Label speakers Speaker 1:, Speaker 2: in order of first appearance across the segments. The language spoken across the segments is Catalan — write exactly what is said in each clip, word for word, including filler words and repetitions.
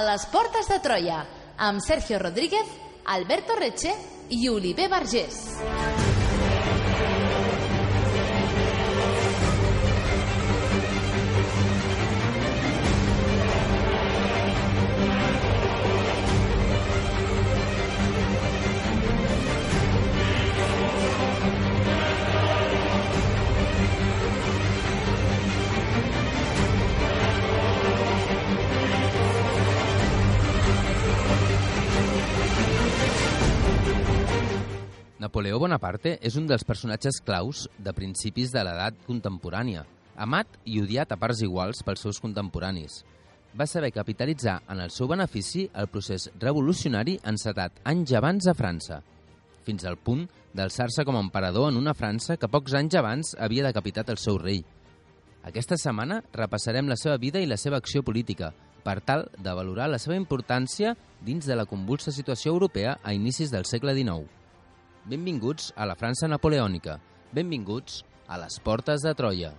Speaker 1: les portes de Troia, amb Sergio Rodríguez, Alberto Reche i Oliver Vergés.
Speaker 2: Napoleó Bonaparte és un dels personatges claus de principis de l'edat contemporània, amat i odiat a parts iguals pels seus contemporanis. Va saber capitalitzar en el seu benefici el procés revolucionari encetat anys abans a França, fins al punt d'alçar-se com a emperador en una França que pocs anys abans havia decapitat el seu rei. Aquesta setmana repassarem la seva vida i la seva acció política, per tal de valorar la seva importància dins de la convulsa situació europea a inicis del segle dinou. Benvinguts a la França napoleònica. Benvinguts a les portes de Troia.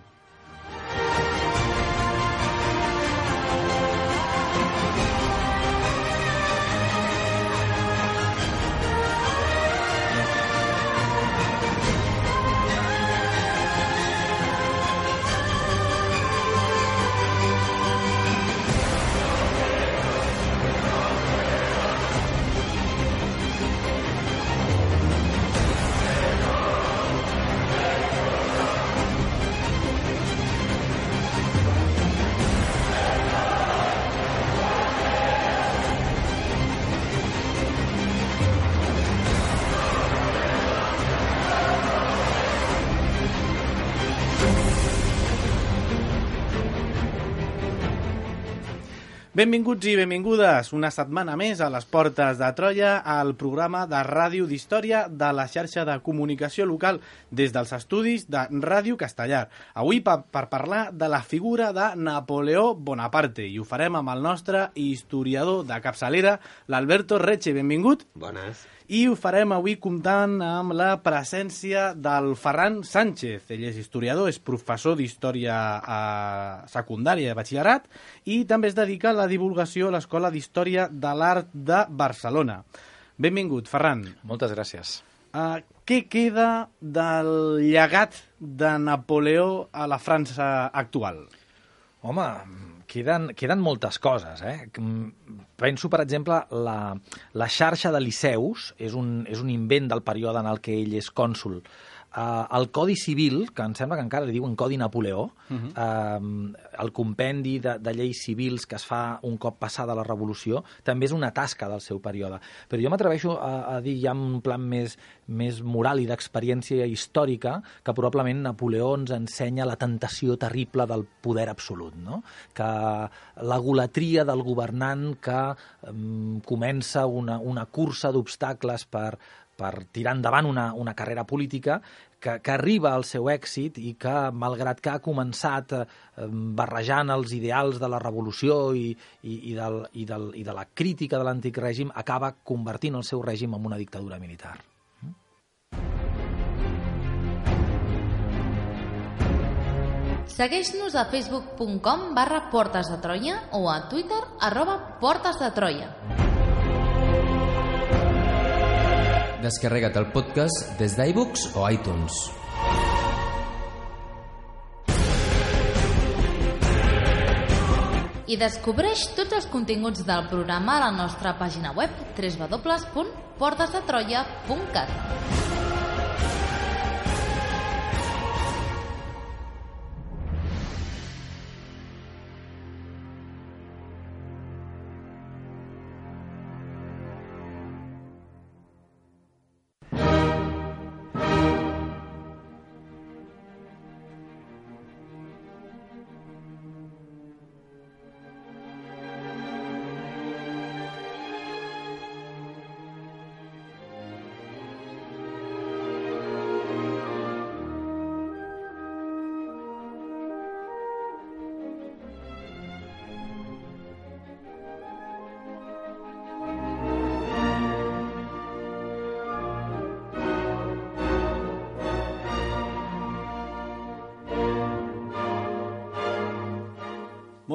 Speaker 3: Benvinguts i benvingudes una setmana més a les portes de Troia, al programa de ràdio d'història de la xarxa de comunicació local des dels estudis de Ràdio Castellar. Avui per, per parlar de la figura de Napoleó Bonaparte i ho farem amb el nostre historiador de capçalera, l'Alberto Reche. Benvingut.
Speaker 4: Bones.
Speaker 3: I ho farem avui comptant amb la presència del Ferran Sánchez. Ell és historiador, és professor d'història a secundària de batxillerat i també es dedica a la divulgació a l'Escola d'Història de l'Art de Barcelona. Benvingut, Ferran.
Speaker 5: Moltes gràcies.
Speaker 3: Uh, què queda del llegat de Napoleó a la França actual?
Speaker 5: Home, queden, queden moltes coses, eh? Penso, per exemple, la, la xarxa de liceus és un, és un invent del període en el què ell és cònsol. Uh, el Codi Civil, que em sembla que encara li diuen Codi Napoleó, uh-huh. uh, el compendi de, de lleis civils que es fa un cop passada la Revolució, també és una tasca del seu període. Però jo m'atreveixo a, a dir ja en un plan més, més moral i d'experiència històrica que probablement Napoleó ens ensenya la tentació terrible del poder absolut, no? Que la golatria del governant que um, comença una, una cursa d'obstacles per per tirar endavant una, una carrera política que, que arriba al seu èxit i que, malgrat que ha començat eh, barrejant els ideals de la revolució i, i, i, del, i, del, i de la crítica de l'antic règim, acaba convertint el seu règim en una dictadura militar.
Speaker 1: Segueix-nos a facebook punt com barra Portes de Troia o a Twitter arroba Portes de Troia.
Speaker 2: Descarrega't el podcast des d'iBooks o iTunes.
Speaker 1: I descobreix tots els continguts del programa a la nostra pàgina web w w w punt portes de troia punt cat.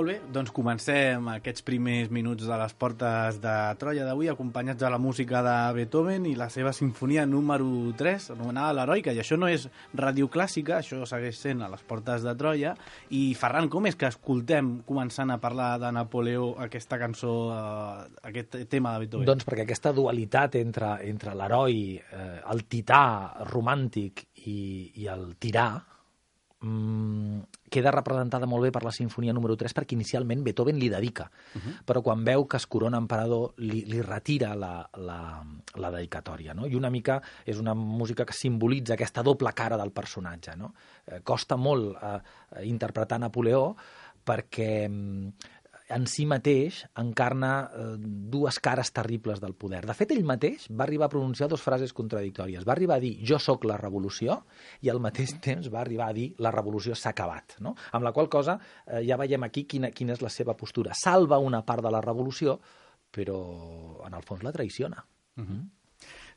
Speaker 3: Molt bé, doncs comencem aquests primers minuts de les portes de Troia d'avui, acompanyats de la música de Beethoven i la seva sinfonia número tres, anomenada l'Heroica, i això no és ràdio clàssica, això segueix sent a les portes de Troia. I Ferran, com és que escoltem, començant a parlar de Napoleó, aquesta cançó, eh, aquest tema de Beethoven?
Speaker 5: Doncs perquè aquesta dualitat entre, entre l'heroi, eh, el tità romàntic i, i el tirà, Mm, queda representada molt bé per la sinfonia número tres, perquè inicialment Beethoven li dedica, uh-huh. però quan veu que es corona emperador li, li retira la, la, la dedicatòria, no? I una mica és una música que simbolitza aquesta doble cara del personatge, no? Eh, costa molt eh, interpretar Napoleó perquè en si mateix encarna eh, dues cares terribles del poder. De fet, ell mateix va arribar a pronunciar dues frases contradictòries. Va arribar a dir jo sóc la revolució i al mateix temps va arribar a dir la revolució s'ha acabat, no? Amb la qual cosa eh, ja veiem aquí quina, quina és la seva postura. Salva una part de la revolució, però en el fons la traiciona.
Speaker 3: Uh-huh.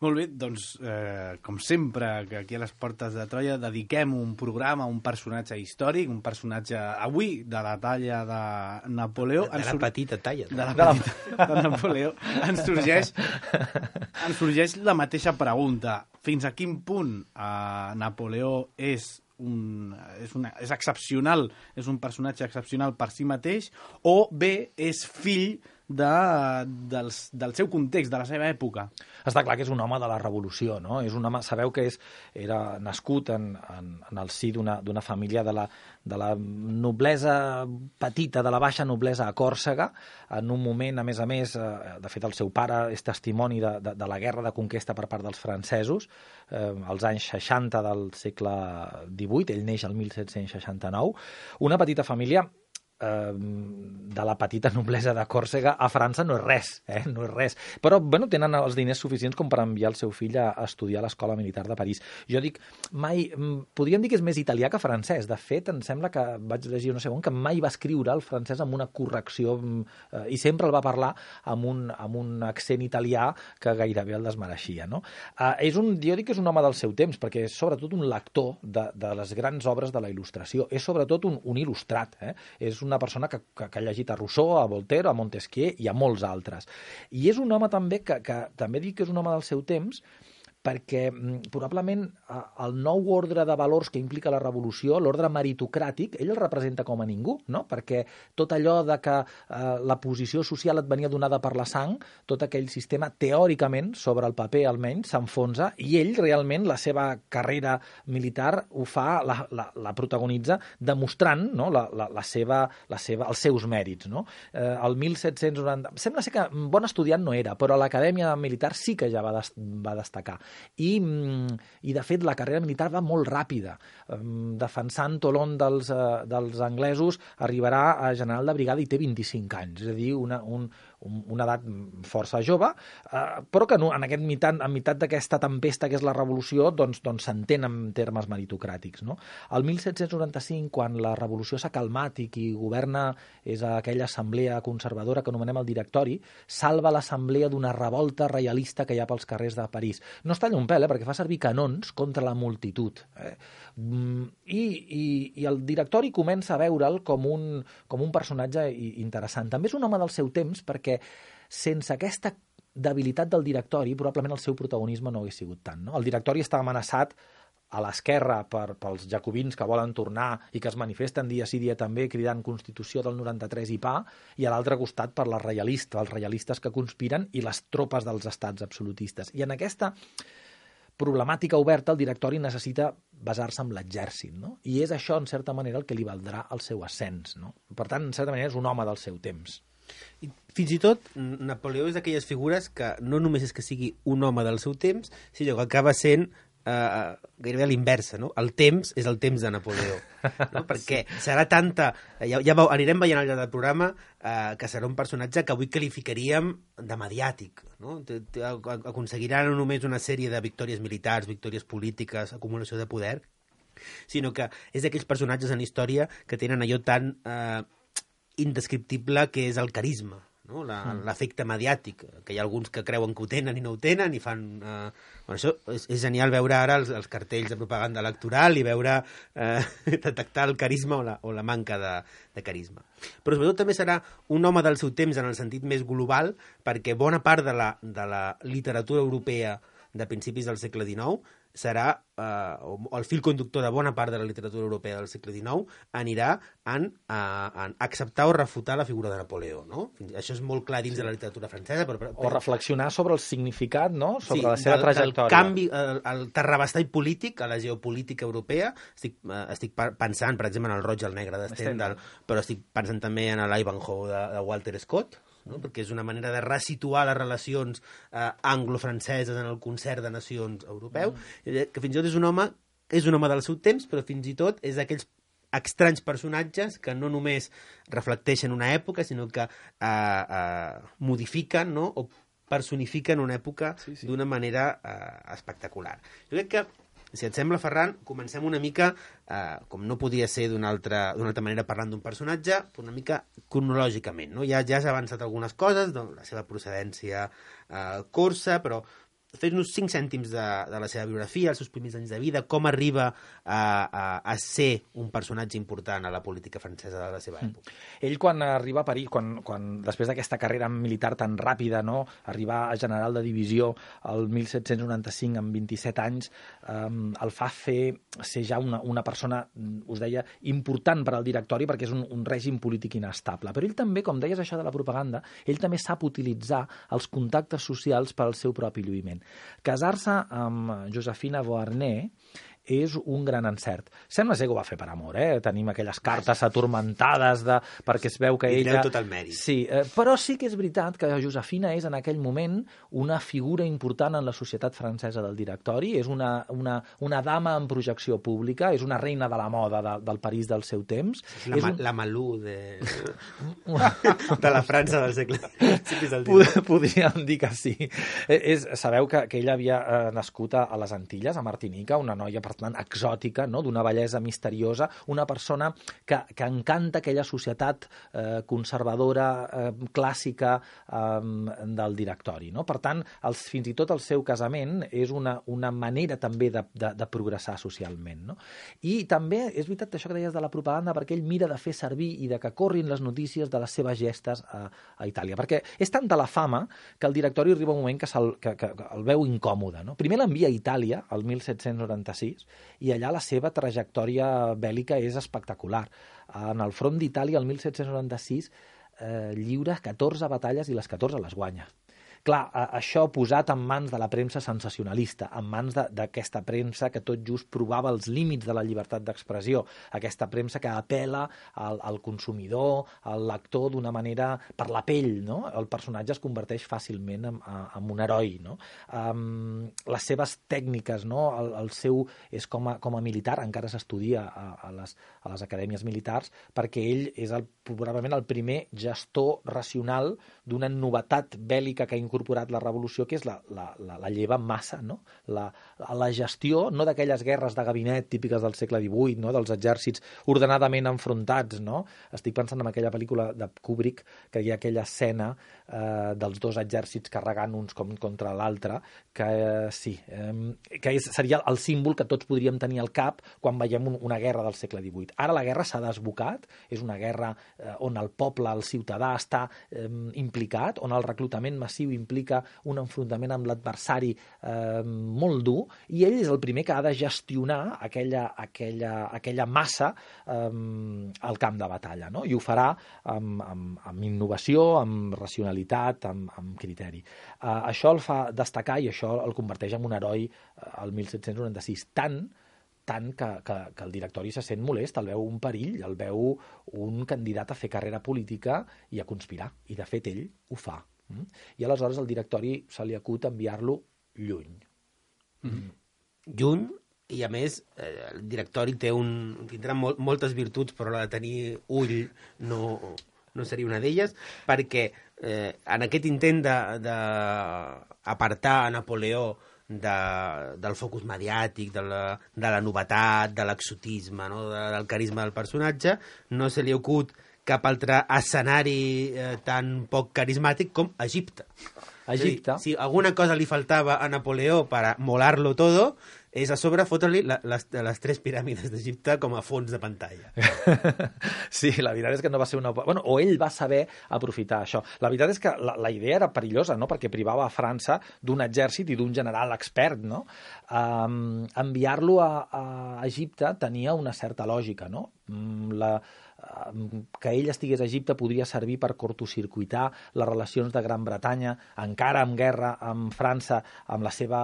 Speaker 3: Molt bé, doncs, eh, com sempre, que aquí a les portes de Troia dediquem un programa a un personatge històric, un personatge, avui, de la talla de Napoleó.
Speaker 4: De, de la sur... petita talla.
Speaker 3: De la petita de Napoleó. Ens sorgeix, ens sorgeix la mateixa pregunta. Fins a quin punt eh, Napoleó és un, és, una, és excepcional, és un personatge excepcional per si mateix, o bé és fill de, del, del seu context, de la seva època?
Speaker 5: Està clar que és un home de la revolució, no? És un home, sabeu que és, era nascut en, en, en el si d'una d'una família de la, de la noblesa petita, de la baixa noblesa a Còrsega, en un moment, a més a més, eh, de fet el seu pare és testimoni de, de, de la guerra de conquesta per part dels francesos, eh, als anys seixanta del segle divuit, ell neix el mil set-cents seixanta-nou, una petita família de la petita noblesa de Còrsega a França no és res, eh? no és res. Però bueno, tenen els diners suficients com per enviar el seu fill a, a estudiar a l'Escola Militar de París. Jo dic, mai, podríem dir que és més italià que francès. De fet, em sembla que vaig llegir no sé on, que mai va escriure el francès amb una correcció eh, i sempre el va parlar amb un, amb un accent italià que gairebé el desmereixia. No? Eh, és un, jo dic que és un home del seu temps, perquè és sobretot un lector de, de les grans obres de la il·lustració. És sobretot un, un il·lustrat. Eh? És un una persona que, que, que ha llegit a Rousseau, a Voltaire, a Montesquieu i a molts altres. I és un home també que, que també dic que és un home del seu temps, perquè probablement el nou ordre de valors que implica la revolució, l'ordre meritocràtic, ell el representa com a ningú, no? Perquè tot allò de que eh, la posició social et venia donada per la sang, tot aquell sistema, teòricament, sobre el paper almenys, s'enfonsa, i ell realment la seva carrera militar ho fa, la, la, la protagonitza, demostrant no? la, la, la seva, la seva, els seus mèrits. No? Eh, el mil set-cents noranta... Sembla ser que bon estudiant no era, però a l'acadèmia militar sí que ja va, des, va destacar. I, i de fet la carrera militar va molt ràpida, defensant Tolón dels, dels anglesos arribarà a general de brigada i té vint-i-cinc anys, és a dir, una, un, una edat força jove, eh, però que no, en aquest mitat, en mitat d'aquesta tempesta que és la revolució, doncs, doncs s'entén en termes meritocràtics. No? El mil set-cents noranta-cinc, quan la revolució s'ha calmat i qui governa és aquella assemblea conservadora que anomenem el directori, salva l'assemblea d'una revolta reialista que hi ha pels carrers de París. No es talla un pèl, eh, perquè fa servir canons contra la multitud. Eh? I, i, I el directori comença a veure'l com un, com un personatge interessant. També és un home del seu temps, perquè sense aquesta debilitat del directori, probablement el seu protagonisme no hagués sigut tant. No? El directori està amenaçat a l'esquerra per, pels jacobins que volen tornar i que es manifesten dia sí dia també cridant Constitució del noranta-tres i pa, i a l'altre costat per les reialistes, els reialistes que conspiren i les tropes dels estats absolutistes. I en aquesta problemàtica oberta el directori necessita basar-se en l'exèrcit, no? I és això, en certa manera, el que li valdrà el seu ascens. No? Per tant, en certa manera, és un home del seu temps.
Speaker 4: I fins i tot, Napoleó és d'aquelles figures que no només és que sigui un home del seu temps, sinó que acaba sent Uh, gairebé a l'inversa, no? El temps és el temps de Napoleó, no? Perquè serà tanta... Ja, ja anirem veient al llarg del programa uh, que serà un personatge que avui qualificaríem de mediàtic, no? Aconseguirà no només una sèrie de victòries militars, victòries polítiques, acumulació de poder, sinó que és d'aquells personatges en història que tenen allò tan uh, indescriptible que és el carisma. no? L'efecte mediàtic, que hi ha alguns que creuen que ho tenen i no ho tenen i fan... Eh, bueno, això és, és genial veure ara els, els cartells de propaganda electoral i veure, eh, detectar el carisma o la, o la manca de, de carisma. Però sobretot també serà un home del seu temps en el sentit més global, perquè bona part de la, de la literatura europea de principis del segle dinou serà, eh, o el fil conductor de bona part de la literatura europea del segle dinou anirà en, eh, en acceptar o refutar la figura de Napoleó, no? Això és molt clar dins sí. de la literatura francesa. Però, però...
Speaker 5: O reflexionar sobre el significat, no? Sobre
Speaker 4: sí,
Speaker 5: la seva
Speaker 4: del,
Speaker 5: trajectòria.
Speaker 4: El canvi, el, el terrabastall polític a la geopolítica europea. Estic, eh, estic pensant, per exemple, en el Roig i el Negre de Stendhal, però estic pensant també en l'Ivanhoe de, de Walter Scott, no? Perquè és una manera de resituar les relacions eh, anglo-franceses en el concert de nacions europeu, mm. que fins i tot és un home és un home del seu temps, però fins i tot és d'aquells estranys personatges que no només reflecteixen una època, sinó que eh, eh, modifiquen, no? O personifiquen una època sí, sí. d'una manera eh, espectacular. Jo crec que, si et sembla, Ferran, comencem una mica, eh, com no podia ser d'una altra, d'una altra manera parlant d'un personatge, una mica cronològicament. No? Ja, ja has avançat algunes coses, doncs, la seva procedència eh, corsa, però fes-nos cinc cèntims de, de la seva biografia, els seus primers anys de vida, com arriba a, a, a ser un personatge important a la política francesa de la seva època.
Speaker 5: Mm. Ell, quan arriba a París, quan, quan després d'aquesta carrera militar tan ràpida, no, arribar a general de divisió el mil set-cents noranta-cinc amb vint-i-set anys, eh, el fa fer ser ja una, una persona, us deia, important per al directori, perquè és un, un règim polític inestable. Però ell també, com deies això de la propaganda, ell també sap utilitzar els contactes socials per al seu propi lluïment. Casar-se amb Josephine Beauharnais és un gran encert. Sembla ser que ho va fer per amor, eh? Tenim aquelles cartes atormentades de... perquè es veu que
Speaker 4: I
Speaker 5: ella...
Speaker 4: I tot el mèrit.
Speaker 5: Sí, eh, però sí que és veritat que Josefina és en aquell moment una figura important en la societat francesa del directori, és una, una, una dama en projecció pública, és una reina de la moda de, del París del seu temps.
Speaker 4: És la, és un... la Malú de... de la França del segle
Speaker 5: Pod Podríem dir que sí. És, sabeu que, que ella havia eh, nascut a les Antilles, a Martinica, una noia per tant exòtica, no? D'una bellesa misteriosa, una persona que, que encanta aquella societat eh, conservadora, eh, clàssica eh, del directori. No? Per tant, els, fins i tot el seu casament és una, una manera també de, de, de progressar socialment. No? I també és veritat això que deies de la propaganda, perquè ell mira de fer servir i de que corrin les notícies de les seves gestes a, a Itàlia. Perquè és tanta la fama que el directori arriba un moment que, que, que, que el veu incòmode. No? Primer l'envia a Itàlia, el mil set-cents noranta-sis, i allà la seva trajectòria bèl·lica és espectacular. En el front d'Itàlia, el mil set-cents noranta-sis, eh, lliura catorze batalles i les catorze les guanya. Clar, això posat en mans de la premsa sensacionalista, en mans d'aquesta premsa que tot just provava els límits de la llibertat d'expressió, aquesta premsa que apela al, al consumidor, al lector d'una manera per la pell, no? El personatge es converteix fàcilment en, en un heroi, no? Um, les seves tècniques, no? El, el seu és com a, com a militar, encara s'estudia a, a, les, a les acadèmies militars, perquè ell és el, probablement el primer gestor racional d'una novetat bèl·lica que ha incorporat la revolució, que és la, la, la, la lleva en massa, no? La, la gestió, no d'aquelles guerres de gabinet típiques del segle divuit, no? Dels exèrcits ordenadament enfrontats, no? Estic pensant en aquella pel·lícula de Kubrick, que hi ha aquella escena eh, dels dos exèrcits carregant uns com contra l'altre, que eh, sí, eh, que és, seria el símbol que tots podríem tenir al cap quan veiem un, una guerra del segle divuit. Ara la guerra s'ha desbocat, és una guerra eh, on el poble, el ciutadà, està eh, implicat, on el reclutament massiu implica un enfrontament amb l'adversari eh, molt dur, i ell és el primer que ha de gestionar aquella, aquella, aquella massa eh, al camp de batalla, no? I ho farà amb, amb, amb innovació, amb racionalitat, amb, amb criteri. Eh, això el fa destacar i això el converteix en un heroi al eh, mil set-cents noranta-sis, tant tant que, que, que el directori se sent molest, el veu un perill, el veu un candidat a fer carrera política i a conspirar, i de fet ell ho fa. Mm? I aleshores el directori se li acut enviar-lo lluny.
Speaker 4: Mm-hmm. Lluny, i a més eh, el directori té un, tindrà mol, moltes virtuts, però la de tenir ull no, no seria una d'elles, perquè eh, en aquest intent d'apartar a Napoleó De, del focus mediàtic, de la, de la novetat, de l'exotisme, no? de, del carisma del personatge, no se li acut cap altre escenari eh, tan poc carismàtic com Egipte.
Speaker 5: Egipte.
Speaker 4: Si alguna cosa li faltava a Napoleó per molar-lo todo, és a sobre fotre-li les, les tres piràmides d'Egipte com a fons de pantalla.
Speaker 5: Sí, la veritat és que no va ser una... Bueno, o ell va saber aprofitar això. La veritat és que la, la idea era perillosa, no?, perquè privava a França d'un exèrcit i d'un general expert, no? Um, enviar-lo a, a Egipte tenia una certa lògica, no? La, que ell estigués a Egipte podria servir per cortocircuitar les relacions de Gran Bretanya, encara en guerra amb França, amb la seva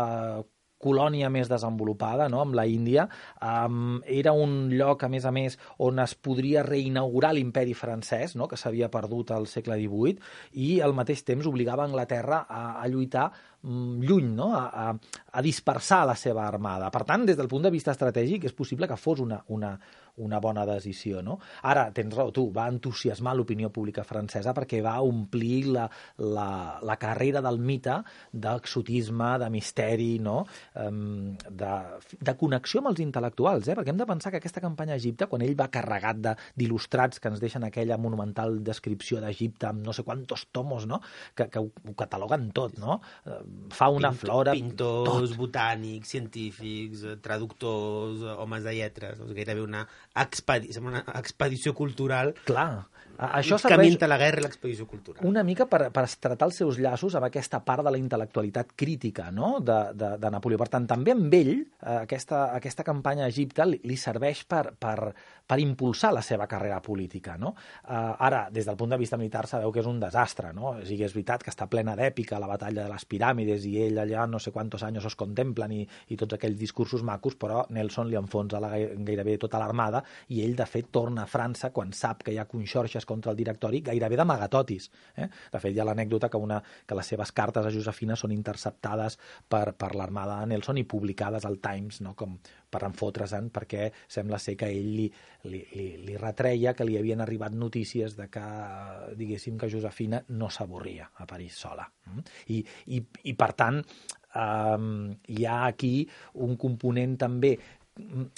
Speaker 5: colònia més desenvolupada, no?, amb la Índia. Um, era un lloc, a més a més, on es podria reinaugurar l'imperi francès, no?, que s'havia perdut al segle divuit, i al mateix temps obligava Anglaterra a, a lluitar mm, lluny, no?, a, a, a dispersar la seva armada. Per tant, des del punt de vista estratègic, és possible que fos una, una, una bona decisió, no? Ara, tens raó, tu, va entusiasmar l'opinió pública francesa perquè va omplir la, la, la carrera del mite d'exotisme, de misteri, no?, um, de, de connexió amb els intel·lectuals, eh? Perquè hem de pensar que aquesta campanya a Egipte, quan ell va carregat d'il·lustrats que ens deixen aquella monumental descripció d'Egipte amb no sé quantos tomos, no?, que, que ho, ho cataloguen tot, no? Fauna,
Speaker 4: Pinto,
Speaker 5: flora...
Speaker 4: Pintors,
Speaker 5: tot.
Speaker 4: botànics, científics, traductors, homes de lletres, doncs gairebé una, expedi una expedició cultural.
Speaker 5: Clar, això
Speaker 4: serveix... Camí entre la guerra i l'expedició cultural.
Speaker 5: Una mica per, per estratar els seus llaços amb aquesta part de la intel·lectualitat crítica, no?, de, de, de Napoleó. Per tant, també amb ell, aquesta, aquesta campanya a Egipte li, li serveix per, per, per impulsar la seva carrera política, no? Uh, ara, des del punt de vista militar, sabeu que és un desastre, no? O sigui, és veritat que està plena d'èpica la batalla de les piràmides i ell allà no sé quantos anys os contemplen i, i tots aquells discursos macos, però Nelson li enfonsa la, gairebé tota l'armada i ell, de fet, torna a França quan sap que hi ha conxorxes contra el directori, gairebé d'amagatotis. Eh? De fet, hi ha l'anècdota que, una, que les seves cartes a Josefina són interceptades per, per l'armada de Nelson i publicades al Times, no?, com per enfotre's-en, perquè sembla ser que ell li, li, li, li retreia que li havien arribat notícies de que, diguéssim, que Josefina no s'avorria a París sola. I, i, i per tant, um, hi ha aquí un component també.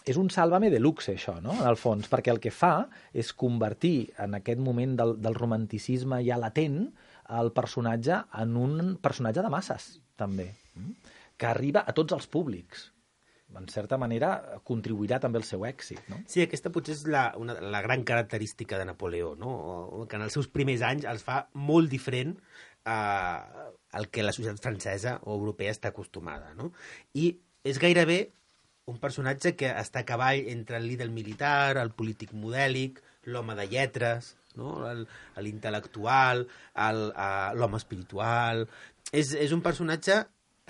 Speaker 5: És un sàlvame de luxe, això, no?, en el fons, perquè el que fa és convertir en aquest moment del, del romanticisme ja latent el personatge en un personatge de masses, també, que arriba a tots els públics. En certa manera, contribuirà també al seu èxit, no?
Speaker 4: Sí, aquesta potser és la, una, la gran característica de Napoleó, no?, que en els seus primers anys els fa molt diferent eh, al que la societat francesa o europea està acostumada, no? I és gairebé un personatge que està a cavall entre el líder militar, el polític modèlic, l'home de lletres, no?, l'intel·lectual, l'home espiritual. És, és un personatge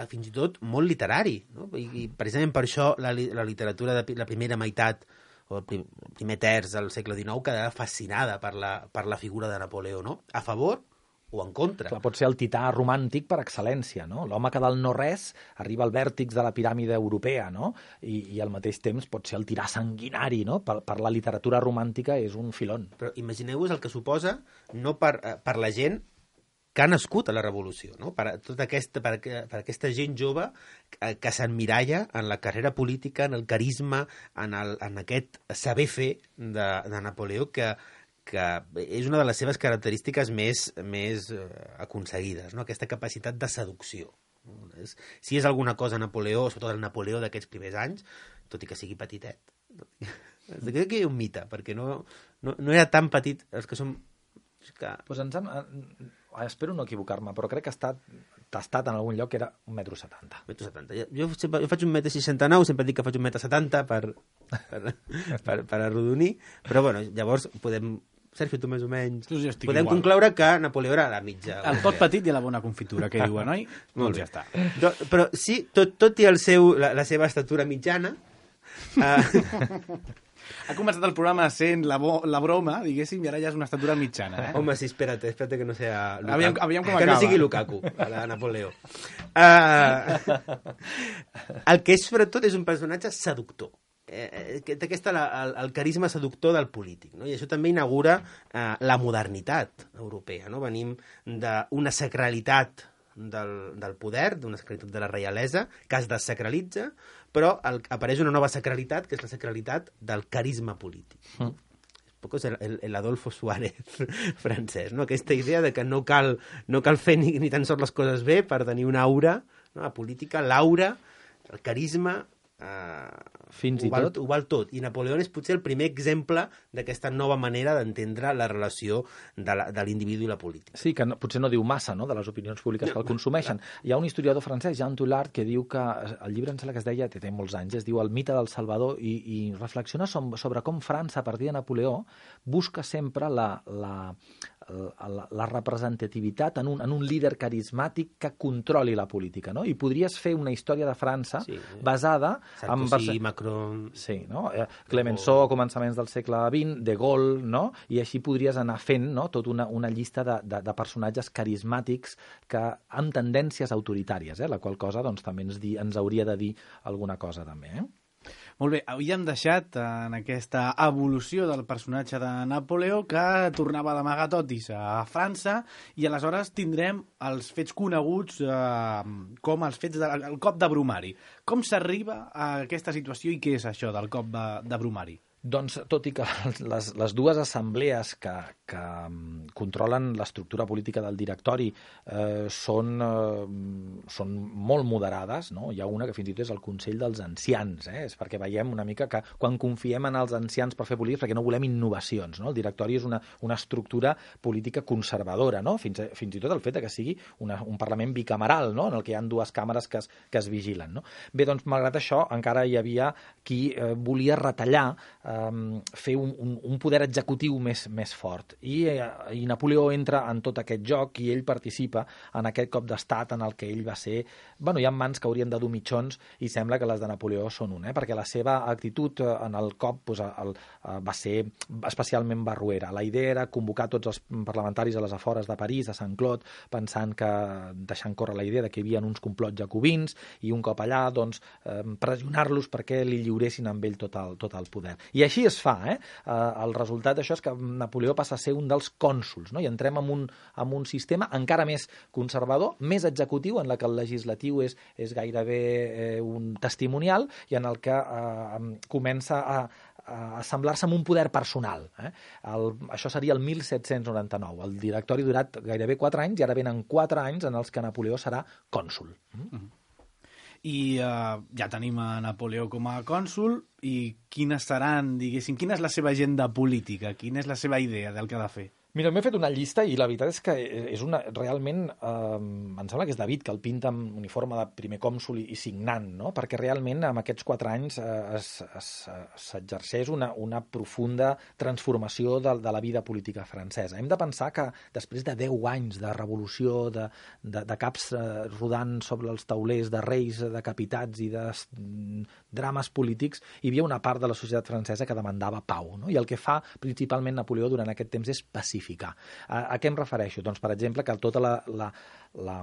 Speaker 4: fins i tot molt literari, no? I, i precisament per això la, la literatura de la primera meitat o el prim, primer terç del segle dinou quedarà fascinada per la, per la figura de Napoleó, no? A favor o en contra.
Speaker 5: Clar, pot ser el tità romàntic per excel·lència, no? L'home que del no-res arriba al vèrtex de la piràmide europea, no? I, i al mateix temps pot ser el tirà sanguinari, no? Per, per la literatura romàntica és un filon.
Speaker 4: Però imagineu-vos el que suposa no per, per la gent que ha nascut a la Revolució, no? Per, tota aquesta, per, per aquesta gent jove que, que s'emmiralla en la carrera política, en el carisma, en, el, en aquest saber fer de, de Napoleó, que, que és una de les seves característiques més, més eh, aconseguides, no? Aquesta capacitat de seducció. No? És, si és alguna cosa Napoleó, sobretot el Napoleó d'aquests primers anys, tot i que sigui petitet, crec que hi ha un mite, perquè no, no, no era tan petit els que som... Que...
Speaker 5: Pues ens hem... Espero no equivocar-me, però crec que ha estat tastat en algun lloc que era un metro setanta.
Speaker 4: Un metro setanta. Jo, sempre, jo faig un metro seixanta-nou, sempre dic que faig un metro setanta per, per, per, per arrodonir, però bueno, llavors podem... Sergio, tu més o menys...
Speaker 3: Sí,
Speaker 4: podem
Speaker 3: igual.
Speaker 4: Concloure que Napoleó era la mitja.
Speaker 3: El pot petit i la bona confitura, que diuen, oi?
Speaker 4: Molt
Speaker 3: doncs
Speaker 4: bé.
Speaker 3: ja està.
Speaker 4: Do, però sí, tot, tot i el seu, la, la seva estatura mitjana... Uh...
Speaker 3: Ha començat el programa sent la, bo, la broma, diguéssim, i ara ja és una estatura mitjana. Eh?
Speaker 4: Home, sí, espera't, espera't que no sea Lukaku.
Speaker 3: Aviam, aviam com
Speaker 4: que
Speaker 3: acaba.
Speaker 4: no sigui Lukaku, la Napoleó. Uh, el que és, sobretot, és un personatge seductor. Eh, que té aquesta, la, el, el carisma seductor del polític, no? I això també inaugura eh, la modernitat europea, no? Venim d'una sacralitat del, del poder, d'una sacralitat de la reialesa, que es desacralitza, però el, apareix una nova sacralitat, que és la sacralitat del carisma polític. Mm. poc és el, el, el Adolfo Suárez francès, no? Aquesta idea de que no cal, no cal fer ni, ni tan sols les coses bé per tenir una aura, no? La política, l'aura, el carisma, eh,
Speaker 5: fins
Speaker 4: ho,
Speaker 5: i
Speaker 4: val,
Speaker 5: tot
Speaker 4: ho val tot. I Napoleó és potser el primer exemple d'aquesta nova manera d'entendre la relació de, la, de l'individu i la política.
Speaker 5: Sí, que no, potser no diu massa, no?, de les opinions públiques que el consumeixen. Hi ha un historiador francès, Jean Toulard, que diu que el llibre, em sembla que es deia, té, té molts anys, es diu El mite del Salvador, i, i reflexiona sobre com França, a partir de Napoleó, busca sempre la, la, la, la representativitat en un, en un líder carismàtic que controli la política, no? I podries fer una història de França sí, basada en...
Speaker 4: Sarkozy, Macron...
Speaker 5: Sí, no? Clemenceau a començaments del segle vint, De Gaulle, no? I així podries anar fent, no?, tota una, una llista de, de, de personatges carismàtics que, amb tendències autoritàries, eh? La qual cosa doncs, també ens, di, ens hauria de dir alguna cosa també, eh?
Speaker 3: Molt bé, avui hem deixat en aquesta evolució del personatge de Napoleó que tornava d'amagar totis a França i aleshores tindrem els fets coneguts eh, com els fets del de, cop de Brumari. Com s'arriba a aquesta situació i què és això del cop de, de Brumari?
Speaker 5: Doncs, tot i que les, les dues assemblees que, que controlen l'estructura política del directori eh, són, eh, són molt moderades, no? Hi ha una que fins i tot és el Consell dels Ancians, eh? És perquè veiem una mica que quan confiem en els ancians per fer política perquè no volem innovacions, no? El directori és una, una estructura política conservadora, no? Fins, fins i tot el fet que sigui una, un Parlament bicameral, no?, en el que hi ha dues càmeres que es, que es vigilen, no? Bé, doncs, malgrat això, encara hi havia qui eh, volia retallar eh, fer un, un, un poder executiu més, més fort. I, I Napoleó entra en tot aquest joc i ell participa en aquest cop d'estat en el que ell va ser... Bueno, hi ha mans que haurien de dur mitjons i sembla que les de Napoleó són un, eh? Perquè la seva actitud en el cop pues, el, va ser especialment barruera. La idea era convocar tots els parlamentaris a les afores de París, a Sant-Cloud, pensant que, deixant córrer la idea de que hi havia uns complots jacobins i un cop allà, doncs, pressionar-los perquè li lliuressin amb ell tot el, tot el poder. I així es fa, eh? El resultat d'això és que Napoleó passa a ser un dels cònsols, no? I entrem en un, en un sistema encara més conservador, més executiu, en la que el legislatiu és, és gairebé eh, un testimonial i en el que eh, comença a, a assemblar-se amb un poder personal. Eh? El, això seria el mil set-cents noranta-nou. El directori ha durat gairebé quatre anys i ara venen quatre anys en els que Napoleó serà cònsol. Mm-hmm.
Speaker 3: I uh, ja tenim a Napoleó com a cònsol i quines seran, diguéssim, quina és la seva agenda política, quina és la seva idea del que ha de fer?
Speaker 5: Mira, m'he fet una llista i la veritat és que és una, realment, eh, em sembla que és David que el pinta amb uniforme de primer cònsol i, i signant, no? Perquè realment en aquests quatre anys eh, s'exerceix una, una profunda transformació de, de la vida política francesa. Hem de pensar que després de deu anys de revolució, de, de, de caps eh, rodant sobre els taulers, de reis decapitats i de mm, drames polítics, hi havia una part de la societat francesa que demandava pau, no? I el que fa principalment Napoleó durant aquest temps és pacificar. A, a què em refereixo? Doncs, per exemple, que tota la, la, la,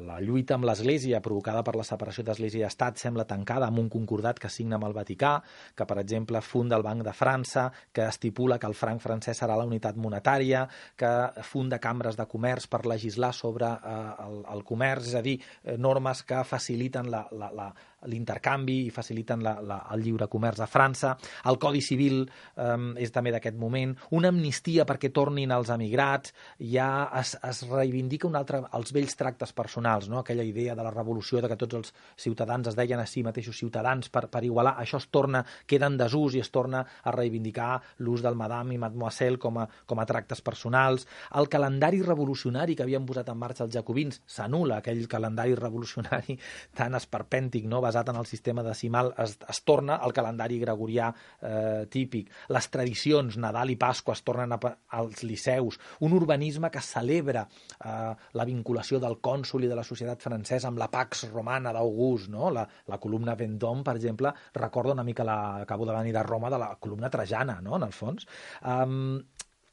Speaker 5: la lluita amb l'Església provocada per la separació d'Església i Estat sembla tancada amb un concordat que signa amb el Vaticà, que, per exemple, funda el Banc de França, que estipula que el franc francès serà la unitat monetària, que funda cambres de comerç per legislar sobre eh, el, el comerç, és a dir, eh, normes que faciliten la, la, la l'intercanvi i faciliten la, la, el lliure comerç a França. El Codi Civil eh, és també d'aquest moment. Una amnistia perquè tornin els emigrats. Ja es, es reivindica un altre, els vells tractes personals, no? Aquella idea de la revolució, de que tots els ciutadans es deien a si mateixos ciutadans per, per igualar. Això es torna, queda en desús i es torna a reivindicar l'ús del madame i mademoiselle com a, com a tractes personals. El calendari revolucionari que havien posat en marxa els jacobins s'anul·la, aquell calendari revolucionari tan esperpèntic, no? Basat en el sistema decimal, es, es torna al calendari gregorià eh, típic. Les tradicions, Nadal i Pasqua, es tornen a, als liceus. Un urbanisme que celebra eh, la vinculació del cònsol i de la societat francesa amb la Pax Romana d'August, no? La, la columna Vendôme, per exemple, recorda una mica la, acabo de venir de Roma, de la columna Trajana, no? En el fons. Um,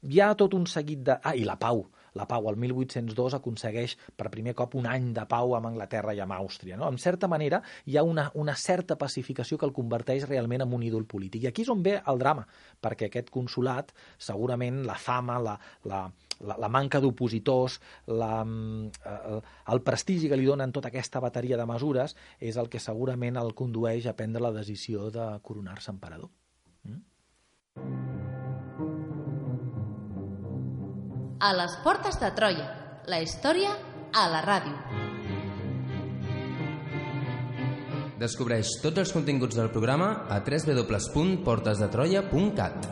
Speaker 5: hi ha tot un seguit de... Ah, i la pau. La pau, el mil vuit-cents dos, aconsegueix per primer cop un any de pau amb Anglaterra i amb Àustria, no? En certa manera, hi ha una, una certa pacificació que el converteix realment en un ídol polític. I aquí és on ve el drama, perquè aquest consolat, segurament la fama, la, la, la, la manca d'opositors, la, el, el prestigi que li donen tota aquesta bateria de mesures, és el que segurament el condueix a prendre la decisió de coronar-se emperador. Mm?
Speaker 1: A les portes de Troia, la història a la ràdio.
Speaker 2: Descobreix tots els continguts del programa a w w w punt portes de troia punt cat.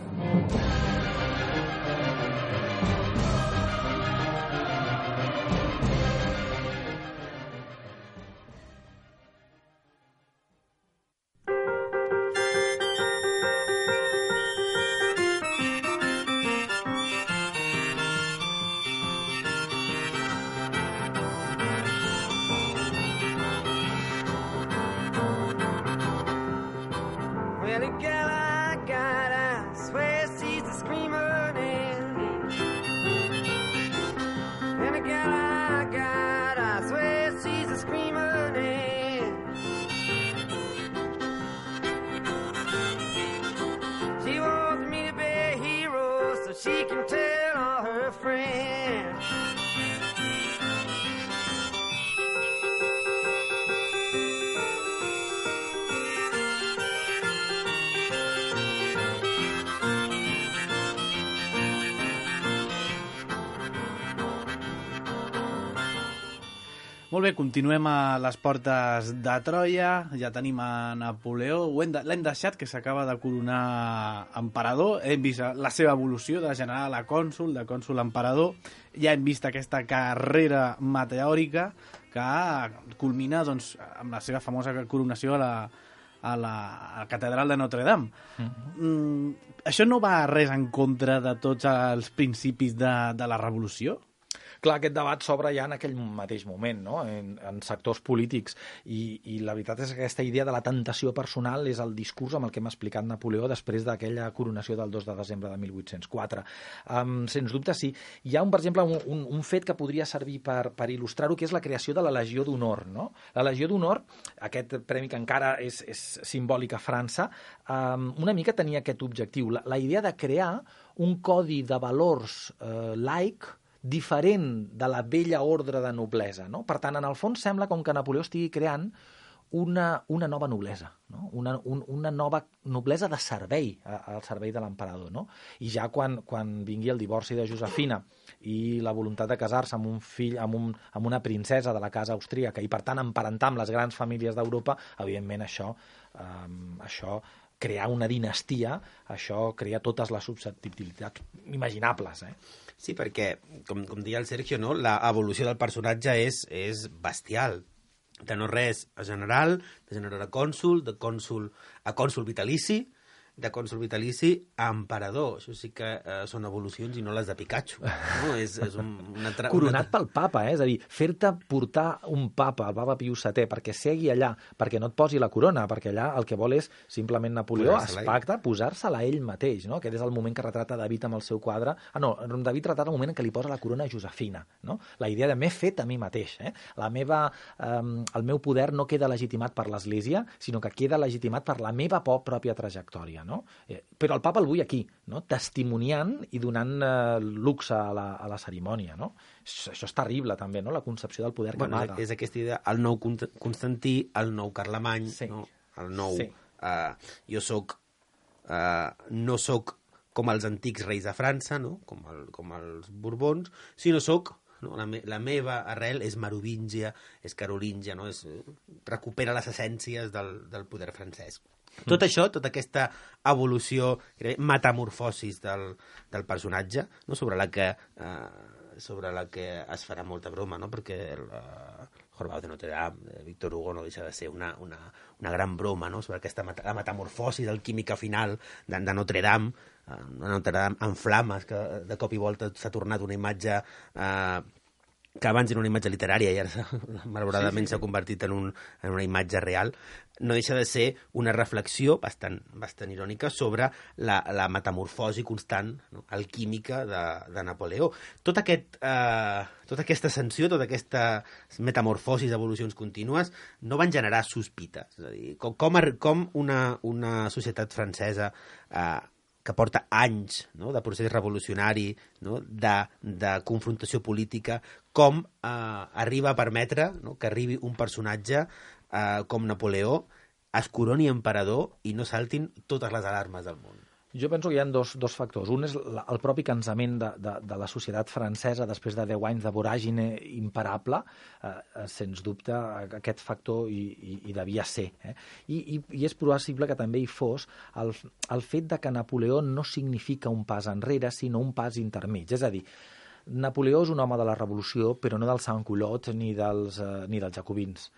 Speaker 3: Molt bé, continuem a les portes de Troia, ja tenim a Napoleó, l'hem deixat, que s'acaba de coronar emperador, hem vist la seva evolució de general a cònsul, de cònsul a emperador, ja hem vist aquesta carrera meteòrica que culmina doncs, amb la seva famosa coronació a la, a la, a la catedral de Notre Dame. Mm-hmm. mm, això no va res en contra de tots els principis de, de la revolució?
Speaker 5: Clar, aquest debat s'obre ja en aquell mateix moment, no? en, en sectors polítics, i, i la veritat és que aquesta idea de la tentació personal és el discurs amb el que hem explicat Napoleó després d'aquella coronació del dos de desembre de mil vuit-cents quatre. Um, sens dubte, sí. Hi ha, un, per exemple, un, un, un fet que podria servir per, per il·lustrar-ho, que és la creació de la Legió d'Honor. No? La Legió d'Honor, aquest premi que encara és, és simbòlic a França, um, una mica tenia aquest objectiu, la, la idea de crear un codi de valors eh, laic diferent de la vella ordre de noblesa. No? Per tant, en el fons sembla com que Napoleó estigui creant una, una nova noblesa, no? una, un, una nova noblesa de servei al servei de l'emperador. No? I ja quan, quan vingui el divorci de Josefina i la voluntat de casar-se amb un fill, amb, un, amb una princesa de la casa austríaca i, per tant, emparentar amb les grans famílies d'Europa, evidentment això, um, això crear una dinastia, això crea totes les susceptibilitats imaginables. Eh?
Speaker 4: Sí, perquè, com, com deia el Sergio, no? La evolució del personatge és, és bestial. De no res a general, de general a cònsul, de cònsul a cònsul vitalici, de cònsul vitalici a emperador. Això sí que eh, són evolucions i no les de Pikachu. No? És, és un, una tra...
Speaker 5: Coronat
Speaker 4: una...
Speaker 5: pel papa, eh? És a dir, fer-te portar un papa, el papa Pius setè, perquè segui allà, perquè no et posi la corona, perquè allà el que vol és simplement Napoleó es pacta posar-se-la ell mateix, no? Aquest és el moment que retrata David amb el seu quadre. Ah, no, David retrata el moment en què li posa la corona a Josefina, no? La idea de m'he fet a mi mateix, eh? La meva, eh, el meu poder no queda legitimat per l'Església, sinó que queda legitimat per la meva pròpia trajectòria, no? Eh, però el papa el vull aquí, no? Testimoniant i donant eh, luxe a la, a la cerimònia, no? Això, això és terrible, també, no? La concepció del poder
Speaker 4: bueno,
Speaker 5: que amaga.
Speaker 4: És aquesta idea, el nou Constantí, el nou Carlemany,
Speaker 5: sí.
Speaker 4: no? El nou...
Speaker 5: Sí.
Speaker 4: Uh, jo soc... Uh, no soc com els antics reis de França, no? Com, el, com els Borbons, sinó soc... No? La, me, la meva arrel és merovíngia, és carolíngia, no? És, recupera les essències del, del poder francès. Tot això, tota aquesta evolució, metamorfosis del, del personatge, no? sobre, la que, eh, sobre la que es farà molta broma, no? Perquè el uh, Jorobado de Notre Dame, de Victor Hugo, no deixa de ser una, una, una gran broma, no? Sobre aquesta met la metamorfosi alquímica final de, de Notre Dame, uh, Notre Dame en flames, que de cop i volta s'ha tornat una imatge... Uh, que abans era una imatge literària i ara malauradament s'ha sí, sí, sí. convertit en, un, en una imatge real, no deixa de ser una reflexió bastant, bastant irònica sobre la, la metamorfosi constant, no? alquímica de, de Napoleó. Tot aquest, eh, tota aquesta ascensió, tota aquesta metamorfosis, evolucions contínues, no van generar sospites. És a dir, com, com, com una, una societat francesa eh, que porta anys, no? de procés revolucionari, no? de, de confrontació política, com eh, arriba a permetre, no? que arribi un personatge eh, com Napoleó, es coroni emperador i no saltin totes les alarmes del món.
Speaker 5: Jo penso que hi ha dos, dos factors. Un és la, el propi cansament de, de, de la societat francesa després de deu anys de voràgine imparable, eh, sens dubte aquest factor hi, hi, hi devia ser. Eh? I, i, I és possible que també hi fos el, el fet de que Napoleó no significa un pas enrere, sinó un pas intermig. És a dir, Napoleó és un home de la revolució, però no dels sans-culottes ni dels, eh, ni dels jacobins,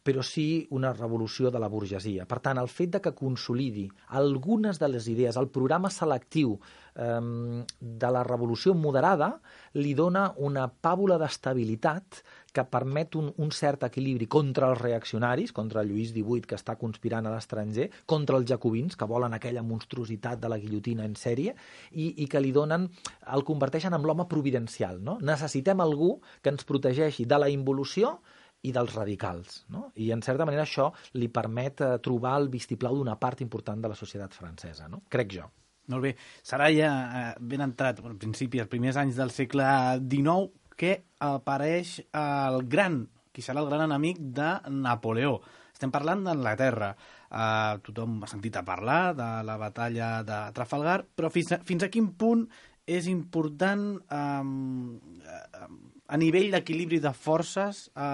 Speaker 5: però sí una revolució de la burgesia. Per tant, el fet de que consolidi algunes de les idees, el programa selectiu eh, de la revolució moderada li dona una pàbula d'estabilitat que permet un, un cert equilibri contra els reaccionaris, contra Lluís divuit, que està conspirant a l'estranger, contra els jacobins, que volen aquella monstruositat de la guillotina en sèrie, i, i que li donen, el converteixen en l'home providencial. No? Necessitem algú que ens protegeixi de la involució i dels radicals, no? I en certa manera això li permet eh, trobar el vistiplau d'una part important de la societat francesa, no? Crec jo.
Speaker 3: Molt bé. Serà ja eh, ben entrat, al principi, els primers anys del segle dinou, que apareix el gran, qui serà el gran enemic de Napoleó. Estem parlant d'Anglaterra. Eh, tothom ha sentit a parlar de la batalla de Trafalgar, però fins a, fins a quin punt és important eh, a nivell d'equilibri de forces a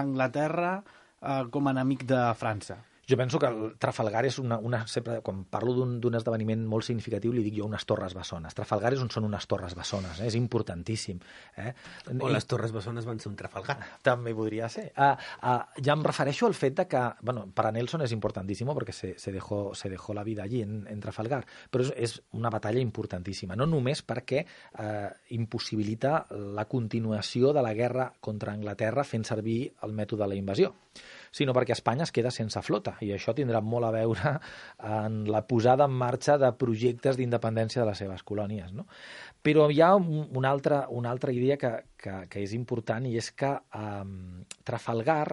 Speaker 3: Anglaterra eh, com a enemic de França?
Speaker 5: Jo penso que el Trafalgar és una... una sempre, quan parlo d'un esdeveniment molt significatiu, li dic jo unes torres bessones. Trafalgar és on són unes torres bessones, eh? És importantíssim. Eh?
Speaker 4: O les torres bessones van ser un Trafalgar.
Speaker 5: També podria ser. Uh, uh, ja em refereixo al fet de que, bueno, para Nelson és importantíssim perquè se, se, dejó, se dejó la vida allí, en, en Trafalgar, però és, és una batalla importantíssima, no només perquè uh, impossibilita la continuació de la guerra contra Anglaterra fent servir el mètode de la invasió, sinó perquè Espanya es queda sense flota, i això tindrà molt a veure en la posada en marxa de projectes d'independència de les seves colònies, no? Però hi ha una altra, una altra idea que, que, que és important, i és que eh, Trafalgar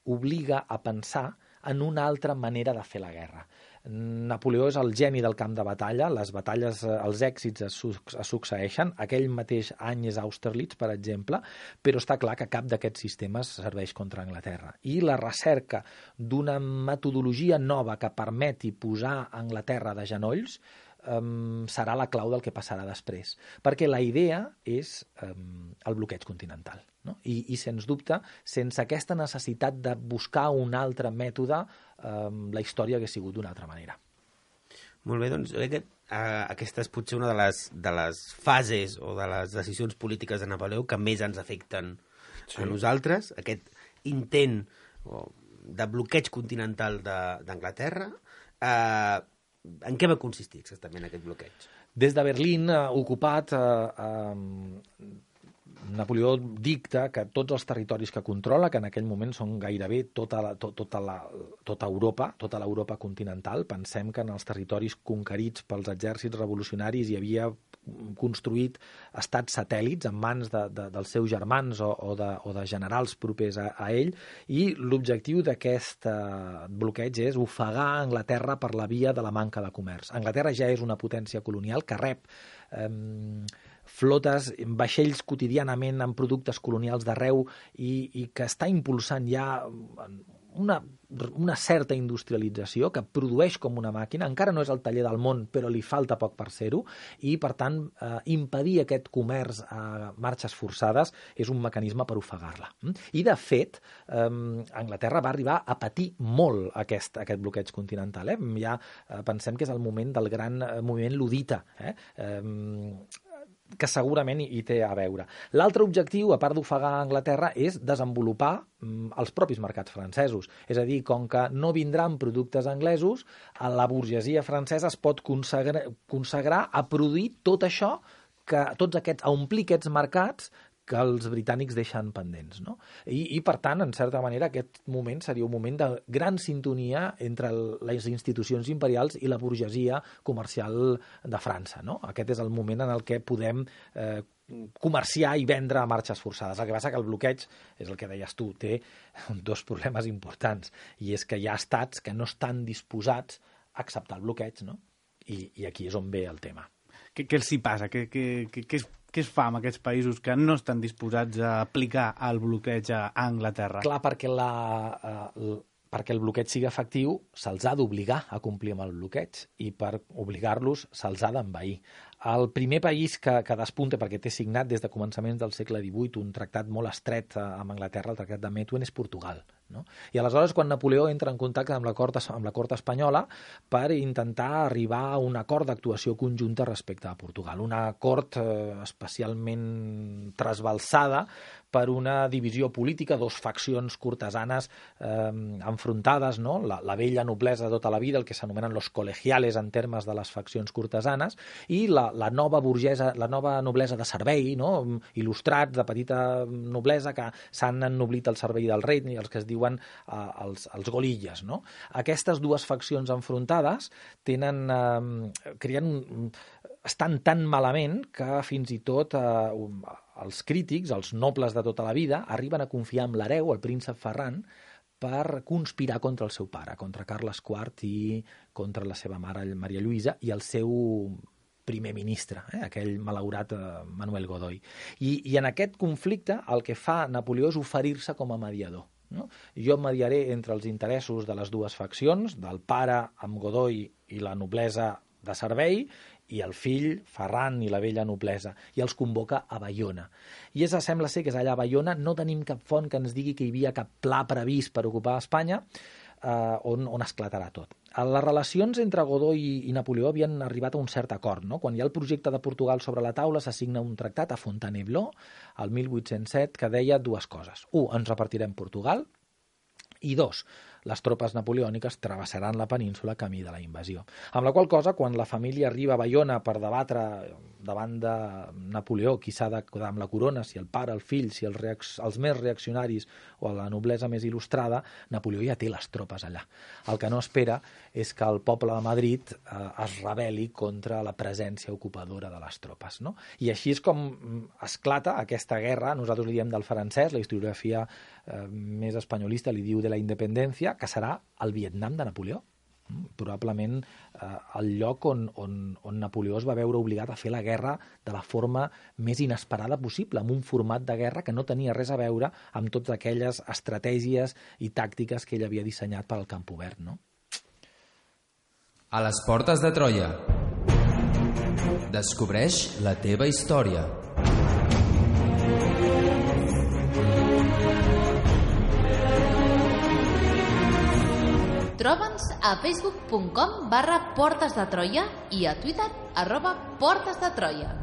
Speaker 5: obliga a pensar en una altra manera de fer la guerra. Napoleó és el geni del camp de batalla, les batalles, els èxits es, es succeeixen, aquell mateix any és Austerlitz, per exemple, però està clar que cap d'aquests sistemes serveix contra Anglaterra. I la recerca d'una metodologia nova que permeti posar Anglaterra de genolls um, serà la clau del que passarà després, perquè la idea és um, el bloqueig continental. No? I, I, sens dubte, sense aquesta necessitat de buscar un altre mètode, eh, la història hauria sigut d'una altra manera.
Speaker 4: Molt bé, doncs jo crec que eh, aquesta és potser una de les, de les fases o de les decisions polítiques de Napoleó que més ens afecten sí. a nosaltres, aquest intent o, de bloqueig continental d'Anglaterra. Eh, en què va consistir exactament aquest bloqueig?
Speaker 5: Des de Berlín, eh, ocupat... Eh, eh, Napoleó dicta que tots els territoris que controla, que en aquell moment són gairebé tota, la, to, tota, la, tota Europa, tota l'Europa continental, pensem que en els territoris conquerits pels exèrcits revolucionaris hi havia construït estats satèl·lits en mans de, de, dels seus germans o, o, de, o de generals propers a, a ell, i l'objectiu d'aquest eh, bloqueig és ofegar Anglaterra per la via de la manca de comerç. Anglaterra ja és una potència colonial que rep eh, flotes, vaixells quotidianament amb productes colonials d'arreu i, i que està impulsant ja una, una certa industrialització, que produeix com una màquina, encara no és el taller del món, però li falta poc per ser-ho, i per tant eh, impedir aquest comerç a marxes forçades és un mecanisme per ofegar-la. I de fet, eh, Anglaterra va arribar a patir molt aquest, aquest bloqueig continental. Eh? Ja eh, pensem que és el moment del gran eh, moviment ludita, eh? eh que segurament hi té a veure. L'altre objectiu, a part d'ofegar Anglaterra, és desenvolupar mm, els propis mercats francesos. És a dir, com que no vindran productes anglesos, la burgesia francesa es pot consagrar, consagrar a produir tot això, que, tots aquests, a omplir aquests mercats que els britànics deixen pendents. No? I, I, per tant, en certa manera, aquest moment seria un moment de gran sintonia entre les institucions imperials i la burgesia comercial de França. No? Aquest és el moment en el què podem eh, comerciar i vendre a marxes forçades. El que passa que el bloqueig, és el que deies tu, té dos problemes importants, i és que hi ha estats que no estan disposats a acceptar el bloqueig, no? I, i aquí és on ve el tema.
Speaker 3: Què, què els hi passa? Què, què, què, què, es, què es fa amb aquests països que no estan disposats a aplicar el bloqueig a Anglaterra?
Speaker 5: Clar, perquè la, uh, perquè el bloqueig sigui efectiu se'ls ha d'obligar a complir amb el bloqueig i per obligar-los se'ls ha d'envair. El primer país que, que despunta, perquè té signat des de començaments del segle divuit un tractat molt estret amb Anglaterra, el tractat de Methuen, és Portugal. No? I aleshores, quan Napoleó entra en contacte amb la cort, amb la cort espanyola per intentar arribar a un acord d'actuació conjunta respecte a Portugal, una cort eh, especialment trasbalsada per una divisió política, dos faccions cortesanes eh, enfrontades, no? la, la vella noblesa de tota la vida, el que s'anomenen los colegiales en termes de les faccions cortesanes, i la, la nova burgesa, la nova noblesa de servei, no? Il·lustrats, de petita noblesa, que s'han ennoblit al servei del rei, els que es diuen eh, els, els golilles. No? Aquestes dues faccions enfrontades tenen, eh, creen un, estan tan malament que fins i tot eh, els crítics, els nobles de tota la vida, arriben a confiar en l'hereu, el príncep Ferran, per conspirar contra el seu pare, contra Carles quart i contra la seva mare, Maria Lluïsa, i el seu primer ministre, eh, aquell malaurat eh, Manuel Godoy. I, I en aquest conflicte el que fa Napoleó és oferir-se com a mediador. No? Jo mediaré entre els interessos de les dues faccions, del pare amb Godoy i la noblesa de servei, i el fill, Ferran, i la vella noblesa, i els convoca a Baiona. I és, sembla ser que és allà a Baiona, no tenim cap font que ens digui que hi havia cap pla previst per ocupar Espanya, eh, on, on esclatarà tot. Les relacions entre Godoy i, i Napoleó havien arribat a un cert acord. No? Quan hi ha el projecte de Portugal sobre la taula, s'assigna un tractat a Fontainebleau, el mil vuit-cents set, que deia dues coses. Un, ens repartirem Portugal, i dos, les tropes napoleòniques travessaran la península camí de la invasió. Amb la qual cosa, quan la família arriba a Baiona per debatre davant de Napoleó qui s'ha de quedar amb la corona, si el pare, el fill, si els, reac els més reaccionaris o la noblesa més il·lustrada, Napoleó ja té les tropes allà. El que no espera és que el poble de Madrid eh, es rebel·li contra la presència ocupadora de les tropes. No? I així és com esclata aquesta guerra, nosaltres li diem del francès, la historiografia eh, més espanyolista li diu de la independència, que serà el Vietnam de Napoleó. Probablement eh, el lloc on, on, on Napoleó es va veure obligat a fer la guerra de la forma més inesperada possible, amb un format de guerra que no tenia res a veure amb totes aquelles estratègies i tàctiques que ell havia dissenyat per al camp obert. No?
Speaker 2: A les portes de Troia. Descobreix la teva història.
Speaker 1: Troba'ns a facebook punt com barra Portes de Troia i a Twitter arroba Portes de Troia.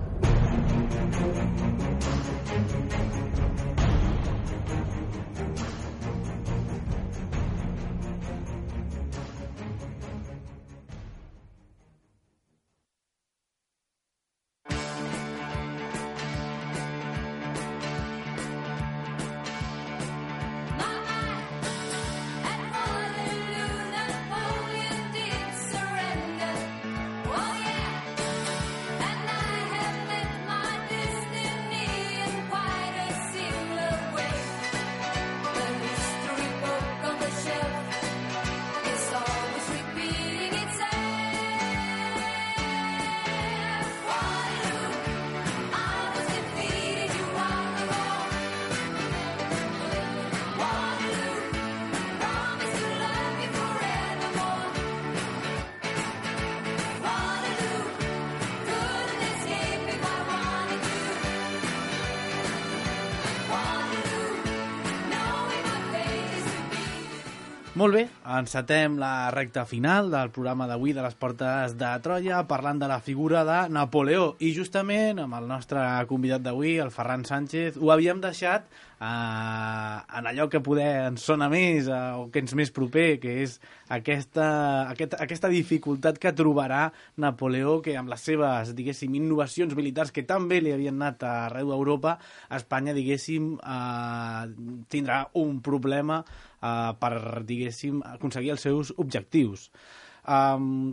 Speaker 3: Molt bé, encetem la recta final del programa d'avui de les Portes de Troia parlant de la figura de Napoleó i justament amb el nostre convidat d'avui, el Ferran Sánchez, ho havíem deixat eh, en allò que poder ens sona més eh, o que ens més proper, que és aquesta, aquest, aquesta dificultat que trobarà Napoleó, que amb les seves, diguéssim, innovacions militars que tan bé li havien anat arreu d'Europa, Espanya, diguéssim, eh, tindrà un problema Uh, per, diguéssim, aconseguir els seus objectius. Um,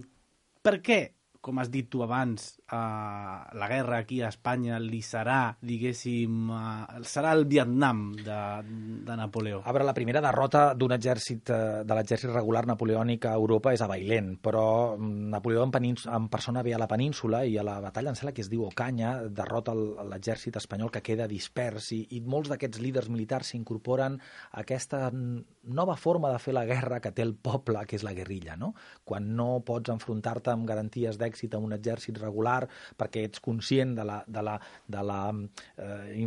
Speaker 3: per què, com has dit tu abans, uh, la guerra aquí a Espanya li serà, diguéssim, uh, serà el Vietnam de, de Napoleó?
Speaker 5: A veure, la primera derrota d'un exèrcit, uh, de l'exèrcit regular napoleònic a Europa és a Bailén, però Napoleó en, en persona ve a la península i a la batalla, em sembla que es diu Ocaña, derrota l'exèrcit espanyol que queda dispers i, i molts d'aquests líders militars s'incorporen a aquesta nova forma de fer la guerra que té el poble, que és la guerrilla, no? Quan no pots enfrontar-te amb garanties d'èxit amb un exèrcit regular perquè ets conscient de la, de la, de la, eh,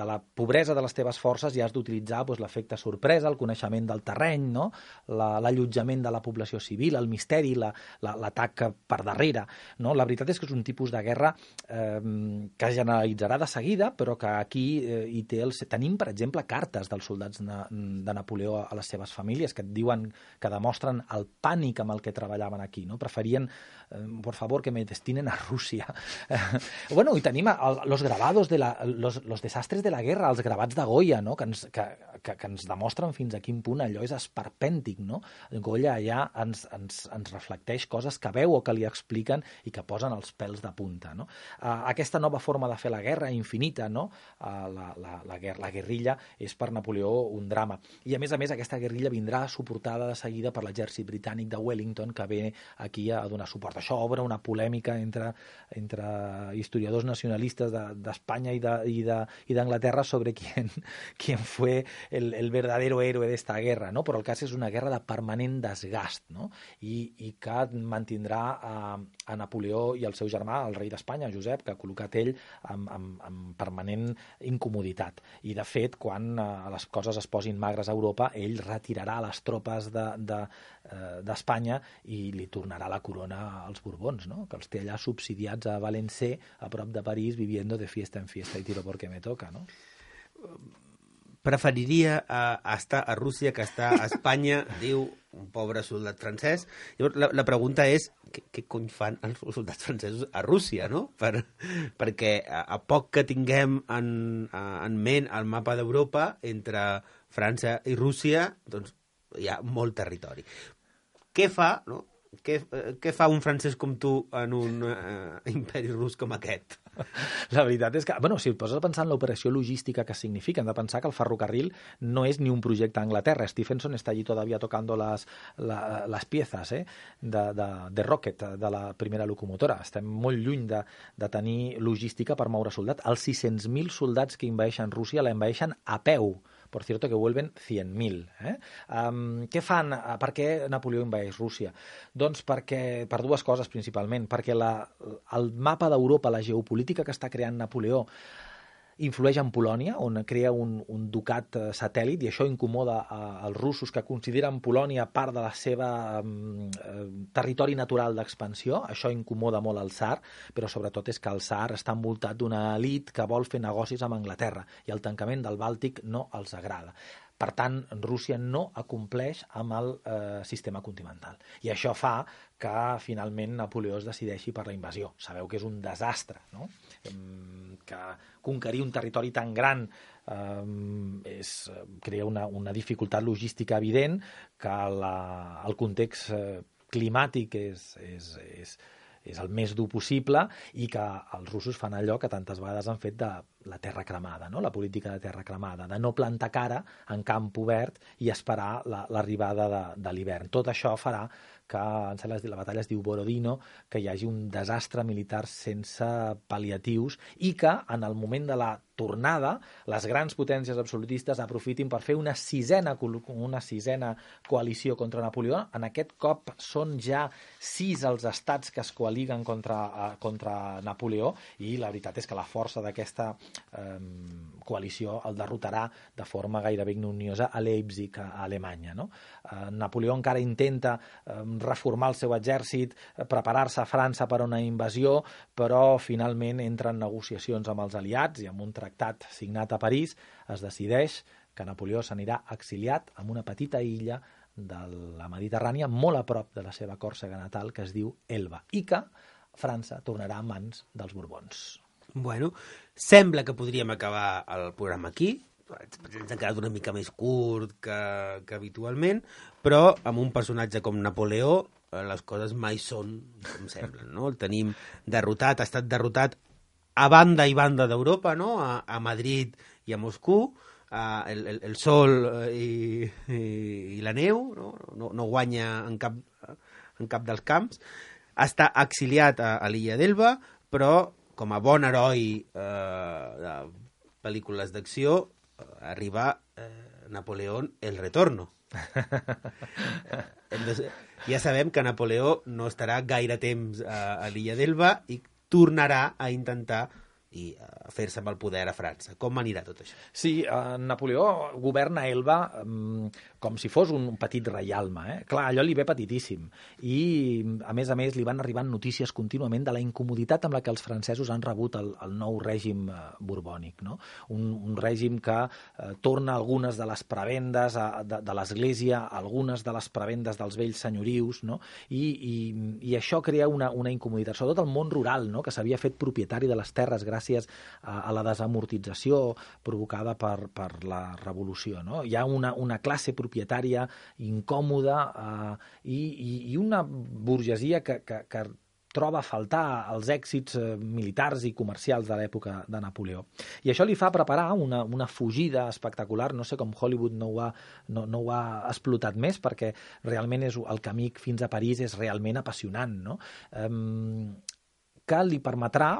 Speaker 5: de la pobresa de les teves forces i has d'utilitzar doncs, l'efecte sorpresa, el coneixement del terreny, no? L'allotjament de la població civil, el misteri, l'atac la, per darrere. No? La veritat és que és un tipus de guerra eh, que es generalitzarà de seguida, però que aquí eh, hi té el... tenim, per exemple, cartes dels soldats de, de Napoleó a les seves famílies que et diuen, que demostren el pànic amb el que treballaven aquí. No? Preferien, eh, por favor, que me destinen a Rússia. Eh, bueno, i tenim el, los grabados de la, los, los desastres de la guerra, els gravats de Goya, no? que, ens, que, que, que ens demostren fins a quin punt allò és esperpèntic. No? Goya allà ens, ens, ens reflecteix coses que veu o que li expliquen i que posen els pèls de punta. No? Uh, aquesta nova forma de fer la guerra infinita, no? uh, la, la, la, guerra, la guerrilla, és per Napoleó un drama. I a més a més aquesta guerrilla vindrà suportada de seguida per l'exèrcit britànic de Wellington, que ve aquí a donar suport. Això obre una polèmica entre, entre historiadors nacionalistes d'Espanya de, i d'Anglaterra de, i sobre quién, quién fue el, el verdadero héroe d'esta guerra, no? Però el cas és una guerra de permanent desgast, no? I, i que mantindrà a, a Napoleó i el seu germà, el rei d'Espanya, Josep, que ha col·locat ell amb, amb, amb permanent incomoditat. I, de fet, quan eh, les coses es posin magres a Europa, ell retirarà les tropes d'Espanya de, de, eh, i li tornarà la corona als Borbons, no? Que els té allà subsidiats a Valencé, a prop de París, viviendo de fiesta en fiesta y tiro porque me toca, no?
Speaker 4: Preferiria uh, estar a Rússia que estar a Espanya, diu un pobre soldat francès. Llavors, la, la pregunta és, què, què cony fan els soldats francesos a Rússia, no? Per, perquè a, a poc que tinguem en, en ment el mapa d'Europa, entre França i Rússia, doncs hi ha molt territori. Què fa, no? Què, què fa un francès com tu en un uh, imperi rus com aquest?
Speaker 5: La veritat és que, bueno, si et poses a pensar en l'operació logística que significa, hem de pensar que el ferrocarril no és ni un projecte a Anglaterra. Stephenson està allí todavía tocando las, la, las piezas eh, de, de, de Rocket, de la primera locomotora. Estem molt lluny de, de tenir logística per moure soldats. Els sis-cents mil soldats que envaeixen Rússia l'envaeixen a peu. Por cierto, que vuelven cent mil. Eh? Um, què fan? Per què Napoleó envaeix Rússia? Doncs perquè, per dues coses principalment. Perquè la, el mapa d'Europa, la geopolítica que està creant Napoleó, influeix en Polònia, on crea un, un ducat satèl·lit, i això incomoda als russos, que consideren Polònia part de la seva eh, territori natural d'expansió. Això incomoda molt al tsar, però sobretot és que el tsar està envoltat d'una elit que vol fer negocis amb Anglaterra, i el tancament del Bàltic no els agrada. Per tant, Rússia no acompleix amb el eh, sistema continental. I això fa que, finalment, Napoleó es decideixi per la invasió. Sabeu que és un desastre, no? Que conquerir un territori tan gran eh, és, crea una, una dificultat logística evident, que la, el context eh, climàtic és... és, és és el més dur possible, i que els russos fan allò que tantes vegades han fet de la terra cremada, no? La política de terra cremada, de no plantar cara en camp obert i esperar l'arribada la, de, de l'hivern. Tot això farà que, la batalla es diu Borodino, que hi hagi un desastre militar sense pal·liatius, i que en el moment de la tornada les grans potències absolutistes aprofitin per fer una sisena, una sisena coalició contra Napoleó. En aquest cop són ja sis els estats que es coaliguen contra, contra Napoleó, i la veritat és que la força d'aquesta eh, coalició el derrotarà de forma gairebé ignominiosa a Leipzig, a Alemanya, no? Eh, Napoleó encara intenta eh, reformar el seu exèrcit, preparar-se a França per a una invasió, però finalment entra en negociacions amb els aliats, i amb un tractat signat a París es decideix que Napoleó s'anirà exiliat en una petita illa de la Mediterrània, molt a prop de la seva Còrsega natal, que es diu Elba, i que França tornarà a mans dels Borbons.
Speaker 4: Bueno, sembla que podríem acabar el programa aquí. Ens ha quedat una mica més curt que, que habitualment, però amb un personatge com Napoleó les coses mai són com semblen, no? El tenim derrotat, ha estat derrotat a banda i banda d'Europa, no? A, a Madrid i a Moscou, a el, el, el sol i, i, i la neu, no? No, no guanya en cap, en cap dels camps. Està exiliat a, a l'illa d'Elba, però com a bon heroi eh, de pel·lícules d'acció, arriba eh, Napoleón el retorno, Ja sabem que Napoleó no estarà gaire temps a, a l'illa d'Elba i tornarà a intentar i a fer-se amb el poder a França. Com anirà tot això?
Speaker 5: Sí, eh, Napoleó governa Elba eh, com si fos un petit reialme. Eh? Clar, allò li ve petitíssim. I, a més a més, li van arribant notícies contínuament de la incomoditat amb la que els francesos han rebut el, el nou règim eh, borbònic. No? Un, un règim que eh, torna algunes de les prebendes a, de, de l'Església, algunes de les prebendes dels vells senyorius, no? I, i, i això crea una, una incomoditat, sobretot el món rural, no? Que s'havia fet propietari de les terres gràcies gràcies a, a la desamortització provocada per, per la revolució. No? Hi ha una, una classe propietària incòmoda eh, i, i, i una burgesia que, que, que troba a faltar els èxits eh, militars i comercials de l'època de Napoleó. I això li fa preparar una, una fugida espectacular. No sé com Hollywood no ho, ha, no, no ho ha explotat més, perquè realment és, el camí fins a París és realment apassionant. No? Um, que li permetrà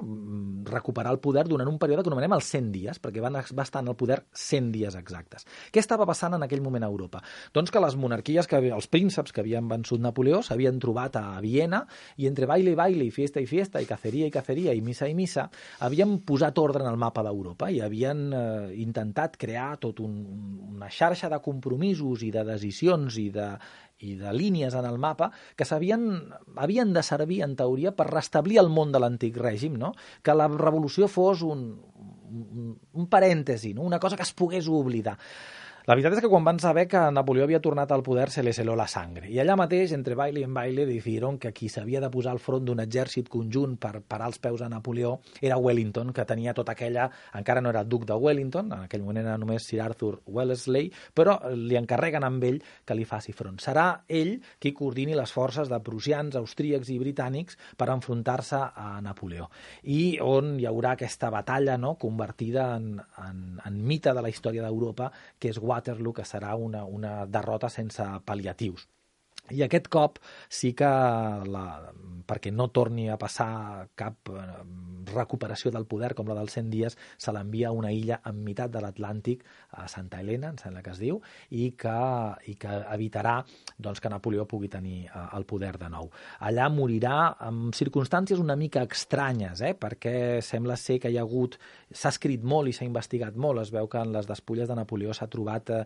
Speaker 5: recuperar el poder durant un període que anomenem els cent dies, perquè van, va estar en el poder cent dies exactes. Què estava passant en aquell moment a Europa? Doncs que les monarquies, que els prínceps que havien vençut Napoleó s'havien trobat a Viena i entre baile i baile, i fiesta i fiesta, i caceria i caceria, i missa i missa, havien posat ordre en el mapa d'Europa i havien eh, intentat crear tot un, una xarxa de compromisos i de decisions i de, i de línies en el mapa que havien de servir, en teoria, per restablir el món de l'antic règim, no? Que la revolució fos un, un, un parèntesi, no? Una cosa que es pogués oblidar. La veritat és que quan van saber que Napoleó havia tornat al poder se les heló la sangre. I allà mateix, entre baile i en baile, decidieron que qui s'havia de posar al front d'un exèrcit conjunt per parar els peus a Napoleó era Wellington, que tenia tota aquella... Encara no era duc de Wellington, en aquell moment era només Sir Arthur Wellesley, però li encarreguen amb ell que li faci front. Serà ell qui coordini les forces de prussians, austríacs i britànics per enfrontar-se a Napoleó. I on hi haurà aquesta batalla, no?, convertida en, en, en mite de la història d'Europa, que és Waterloo, que serà una, una derrota sense pal·liatius. I aquest cop sí que, la, perquè no torni a passar cap recuperació del poder com la dels cent dies, se l'envia a una illa en meitat de l'Atlàntic, a Santa Helena, em sembla que es diu, i que, i que evitarà doncs, que Napoleó pugui tenir uh, el poder de nou. Allà morirà en circumstàncies una mica estranyes, eh? Perquè sembla ser que hi ha hagut... S'ha escrit molt i s'ha investigat molt. Es veu que en les despulles de Napoleó s'ha trobat eh,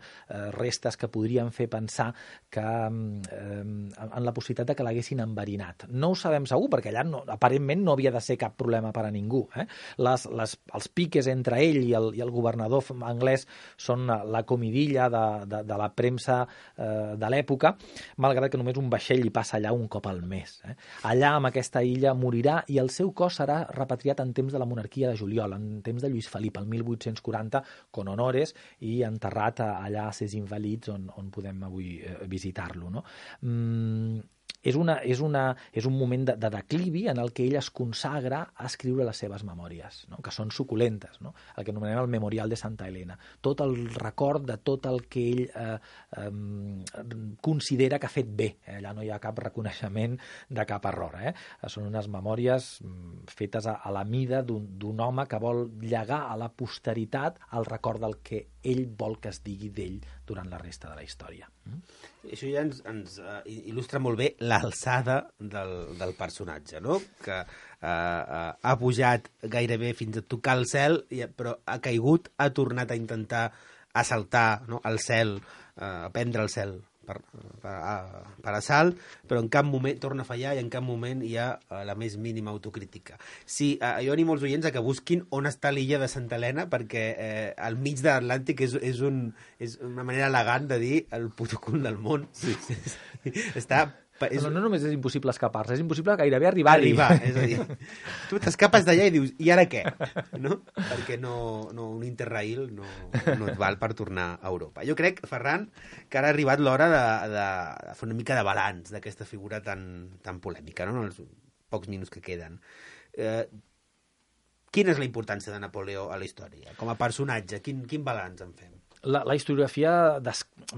Speaker 5: restes que podrien fer pensar que eh, en la possibilitat de que l'haguessin enverinat. No ho sabem segur, perquè allà no, aparentment no havia de ser cap problema per a ningú. Eh? Les, les, els piques entre ell i el, i el governador anglès són la comidilla de, de, de la premsa eh, de l'època, malgrat que només un vaixell hi passa allà un cop al mes. Eh? Allà, amb aquesta illa, morirà i el seu cos serà repatriat en temps de la monarquia de Juliol, en temps de Lluís Felip, el mil vuit-cents quaranta, con honores, i enterrat allà a Ses Invalids, on, on podem avui eh, visitar-lo. No? Mm, és, una, és, una, és un moment de, de declivi en el que ell es consagra a escriure les seves memòries, no? Que són suculentes, no? El que anomenem el Memorial de Santa Helena. Tot el record de tot el que ell eh, eh, considera que ha fet bé. Eh? Allà no hi ha cap reconeixement de cap error. Eh? Són unes memòries fetes a, a la mida d'un home que vol llegar a la posteritat el record del que ell vol que es digui d'ell durant la resta de la història. Mm?
Speaker 4: Això ja ens, ens uh, il·lustra molt bé l'alçada del, del personatge, no? Que uh, uh, ha pujat gairebé fins a tocar el cel, però ha caigut, ha tornat a intentar assaltar, no?, el cel, uh, prendre el cel per, per, uh, per assalt, però en cap moment torna a fallar i en cap moment hi ha uh, la més mínima autocrítica. Sí, uh, jo animo els oients a que busquin on està l'illa de Santa Helena, perquè eh, al mig de l'Atlàntic és, és, un, és una manera elegant de dir el puto cul del món. Sí, sí, sí. Està...
Speaker 5: És... No, no només és impossible escapar-se, és impossible gairebé arribar-hi.
Speaker 4: Arribar, és a dir, tu t'escapes d'allà i dius, i ara què? No? Perquè no, no, un interrail no, no et val per tornar a Europa. Jo crec, Ferran, que ara ha arribat l'hora de, de, de fer una mica de balanç d'aquesta figura tan, tan polèmica, no? En els pocs minuts que queden. Eh, quina és la importància de Napoleó a la història? Com a personatge, quin, quin balanç en fem?
Speaker 5: La, la historiografia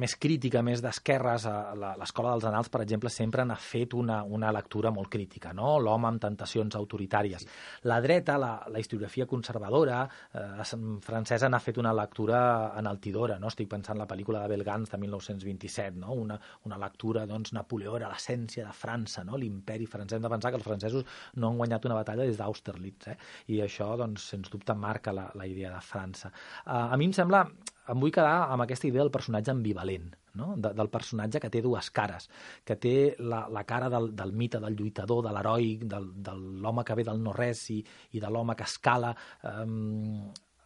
Speaker 5: més crítica, més d'esquerres, a l'Escola dels Annals, per exemple, sempre n'ha fet una, una lectura molt crítica, no? L'home amb tentacions autoritàries. La dreta, la, la historiografia conservadora eh, francesa, n'ha fet una lectura enaltidora, no? Estic pensant en la pel·lícula de Belgans de mil nou-cents vint-i-set, no? Una, una lectura, doncs, Napoleó era l'essència de França, no? L'imperi francès. Hem de pensar que els francesos no han guanyat una batalla des d'Austerlitz, eh? I això, doncs, sens dubte, marca la, la idea de França. Uh, a mi em sembla... Em vull quedar amb aquesta idea del personatge ambivalent, no? De, del personatge que té dues cares, que té la, la cara del, del mite, del lluitador, de l'heroi, del, de l'home que ve del no-res i, i de l'home que escala eh,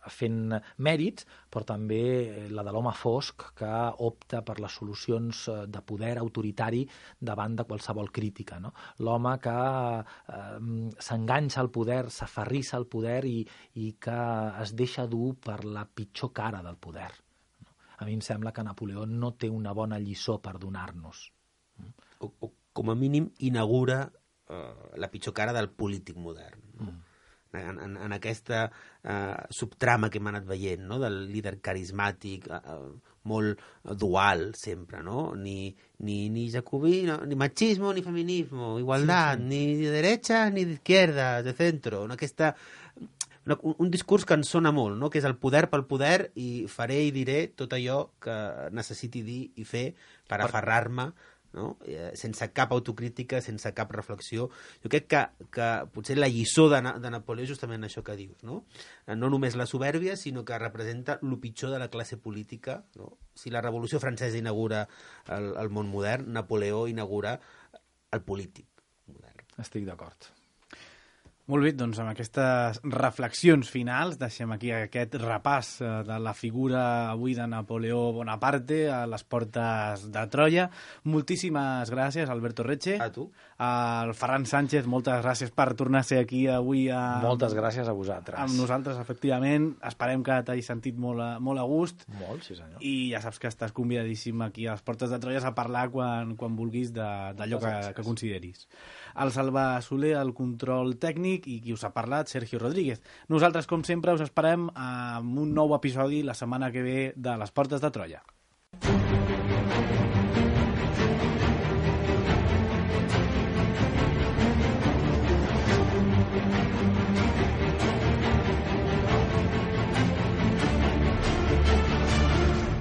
Speaker 5: fent mèrits, però també la de l'home fosc que opta per les solucions de poder autoritari davant de qualsevol crítica, no? L'home que eh, s'enganxa al poder, s'aferrissa al poder i, i que es deixa dur per la pitjor cara del poder. A mi em sembla que Napoleó no té una bona lliçó per donar-nos.
Speaker 4: O, o com a mínim inaugura uh, la pitjor cara del polític modern. No? Mm. En, en, en aquesta uh, subtrama que hem anat veient, no? Del líder carismàtic, uh, molt dual sempre, no? Ni, ni, ni jacobí, no? Ni machismo ni feminismo, igualtat, sí, sí. Ni de derecha ni d'izquierda, de centro. No? Aquesta, una, un, un discurs que ens sona molt, no? Que és el poder pel poder i faré i diré tot allò que necessiti dir i fer per aferrar-me, no? Eh, sense cap autocrítica, sense cap reflexió. Jo crec que, que potser la lliçó de, de Napoleó és justament això que dius, no? No només la supèrbia, sinó que representa el pitjor de la classe política, no? Si la Revolució Francesa inaugura el, el món modern, Napoleó inaugura el polític modern.
Speaker 5: Estic d'acord.
Speaker 3: Molt bé, doncs amb aquestes reflexions finals deixem aquí aquest repàs de la figura avui de Napoleó Bonaparte a les portes de Troia. Moltíssimes gràcies, Alberto Retxe.
Speaker 4: A tu.
Speaker 3: Al Ferran Sánchez, moltes gràcies per tornar a ser aquí avui. A...
Speaker 5: Moltes gràcies a vosaltres.
Speaker 3: Amb nosaltres, efectivament. Esperem que t'hagis sentit molt a, molt a gust.
Speaker 5: Molt, sí senyor.
Speaker 3: I ja saps que estàs convidadíssim aquí a les portes de Troia a parlar quan, quan vulguis d'allò que, que consideris. El Salva Soler, el control tècnic, i qui us ha parlat, Sergio Rodríguez. Nosaltres, com sempre, us esperem amb un nou episodi la setmana que ve de Les Portes de Troia.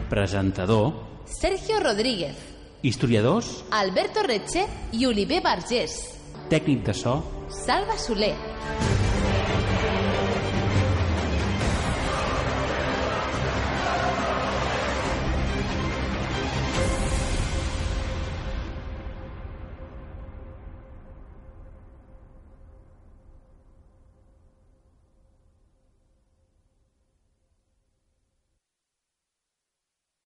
Speaker 6: Presentador
Speaker 1: Sergio Rodríguez.
Speaker 6: Historiadors
Speaker 1: Alberto Retxe i Oliver Vergés.
Speaker 6: Tècnic de so
Speaker 1: Salva Soler.